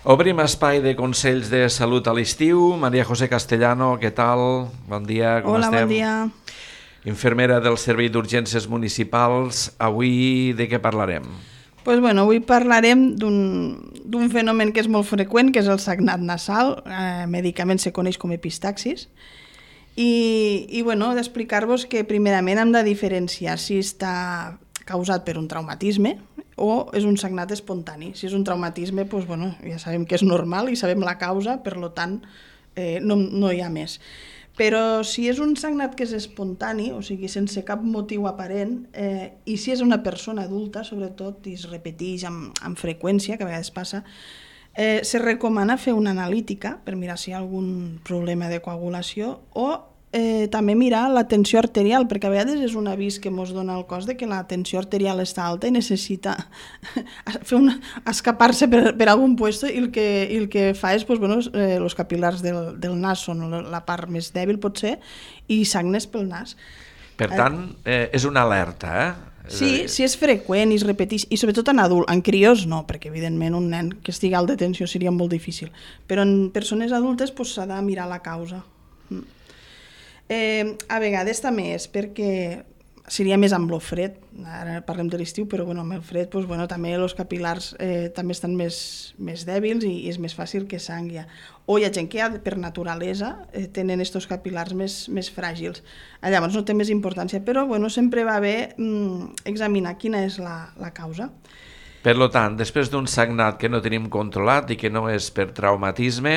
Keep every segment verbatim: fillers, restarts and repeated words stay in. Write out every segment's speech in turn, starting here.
Obrim espai de consells de salut a l'estiu. Maria José Castellano, què tal? Bon dia, com Hola, estem? bon dia. Infermera del Servei d'Urgències Municipals. Avui de què parlarem? Pues bueno, avui parlarem d'un fenomen que és molt freqüent, que és el sagnat nasal. Eh, medicament se coneix com epistaxis. I, i bueno, d'explicar-vos que primerament hem de diferenciar si està causat per un traumatisme o és un sagnat espontani. Si és un traumatisme, pues bueno, ja sabem que és normal i sabem la causa, per tant eh, no, no hi ha més. Però si és un sagnat que és espontani, o sigui, sense cap motiu aparent, eh, i si és una persona adulta, sobretot, i es repeteix amb, amb freqüència, que a vegades passa, eh, se recomana fer una analítica per mirar si hi ha algun problema de coagulació o eh, també mirar la tensió arterial, perquè a vegades és un avís que ens dona el cos de que la tensió arterial està alta i necessita fer una, escapar-se per, per algun puesto i el que, i el que fa és, pues, bueno, eh, els capil·lars del, del nas són la part més dèbil, potser, i sagnes pel nas. Per tant, eh, és una alerta, eh? Sí, si és freqüent i es repeteix, i sobretot en adult, en crios no, perquè evidentment un nen que estigui alt de tensió seria molt difícil, però en persones adultes pues, s'ha de mirar la causa. Eh, a vegades també és perquè seria més amb el fred, ara parlem de l'estiu, però bueno, amb el fred pues, bueno, també els capil·lars eh, també estan més, més dèbils i, i és més fàcil que sangui. O hi ha gent que ja, per naturalesa eh, tenen estos capil·lars més, més fràgils. Llavors no té més importància, però bueno, sempre va bé mm, examinar quina és la, la causa. Per tant, després d'un sagnat que no tenim controlat i que no és per traumatisme,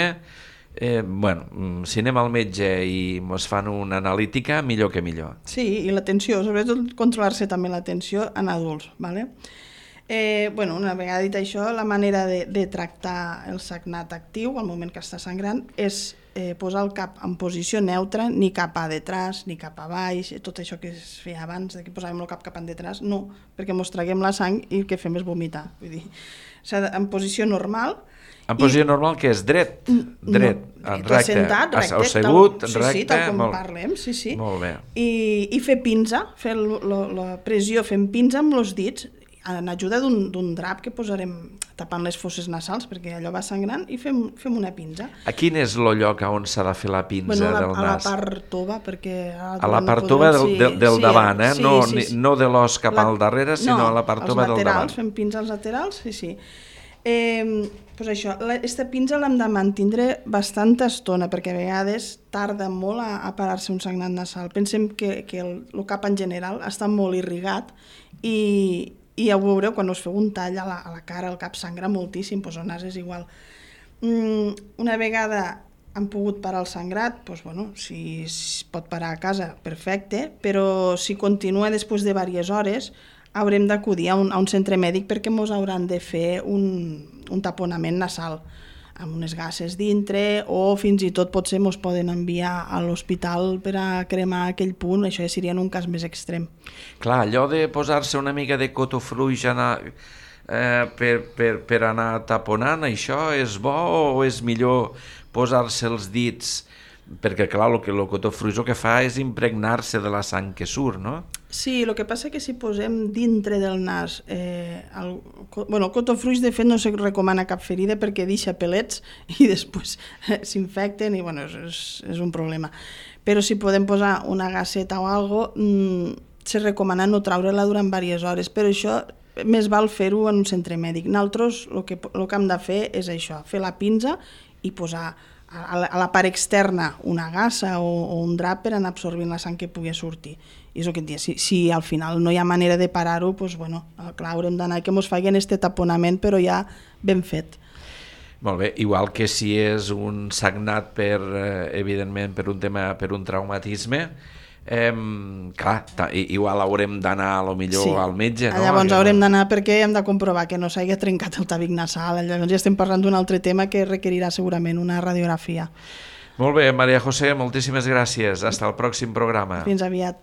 Eh, bueno, si anem al metge i ens fan una analítica, millor que millor. Sí, i la tensió, sobretot controlar-se també la tensió en adults, ¿vale? Eh, bueno, una vegada dit això, la manera de, de tractar el sagnat actiu al moment que està sangrant és eh, posar el cap en posició neutra, ni cap a detrás, ni cap a baix, tot això que es feia abans, de que posàvem el cap cap en detrás, no, perquè mos traguem la sang i el que fem és vomitar. Vull dir, en posició normal. En posició I... normal, que és dret? Dret, no, recte, sentat, recte, assegut, tal, recte. Sí, sí, tal com molt, parlem, sí, sí. Molt bé. I, i fer pinza, fer lo, lo, la pressió, fem pinza amb els dits, en ajuda d'un drap que posarem tapant les fosses nasals, perquè allò va sangrant, i fem, fem una pinza. A quin és el lloc on s'ha de fer la pinza bueno, la, del nas? A la part tova, perquè... A la part tova del, sí, del, del sí, davant, eh? Sí, no, sí, sí. no de l'os cap la, al darrere, sinó no, a la part tova del davant. Fem pinza als laterals, sí, sí. Eh, pues això, aquesta pinza l'hem de mantindre bastanta estona, perquè a vegades tarda molt a, a parar-se un sagnat nasal. Pensem que, que el, el cap en general està molt irrigat i, i ja ho veureu quan us feu un tall a la, a la cara, el cap sangra moltíssim, doncs el nas és igual. Mm, una vegada han pogut parar el sangrat, doncs, bueno, si es pot parar a casa, perfecte, però si continua després de diverses hores, haurem d'acudir a, un, a un centre mèdic perquè ens hauran de fer un, un taponament nasal amb unes gasses dintre o fins i tot potser ens poden enviar a l'hospital per a cremar aquell punt, això ja seria en un cas més extrem. Clar, allò de posar-se una mica de cotofruix anar, eh, per, per, per anar taponant, això és bo o és millor posar-se els dits? Perquè, clar, el, que, el cotofruix el que fa és impregnar-se de la sang que surt, no? Sí, el que passa que si posem dintre del nas... Eh, el, bueno, el cotofruix, de fet, no se recomana cap ferida perquè deixa pelets i després eh, s'infecten i, bueno, és, és un problema. Però si podem posar una gasseta o alguna cosa, mmm, se recomana no traure-la durant diverses hores, però això més val fer-ho en un centre mèdic. Nosaltres el que, el que hem de fer és això, fer la pinza i posar a la, a la part externa una gassa o, o un drap per anar absorbint la sang que pugui sortir. I és el que et dia, si, si al final no hi ha manera de parar-ho, doncs, bueno, clar, haurem d'anar que ens facin este taponament, però ja ben fet. Molt bé, igual que si és un sagnat per, evidentment, per un tema, per un traumatisme, eh, clar, igual haurem d'anar a lo millor sí. al metge, no? Llavors haurem d'anar perquè hem de comprovar que no s'hagi trencat el tabic nasal, llavors ja estem parlant d'un altre tema que requerirà segurament una radiografia. Molt bé, Maria José, moltíssimes gràcies. Hasta el pròxim programa. Fins aviat.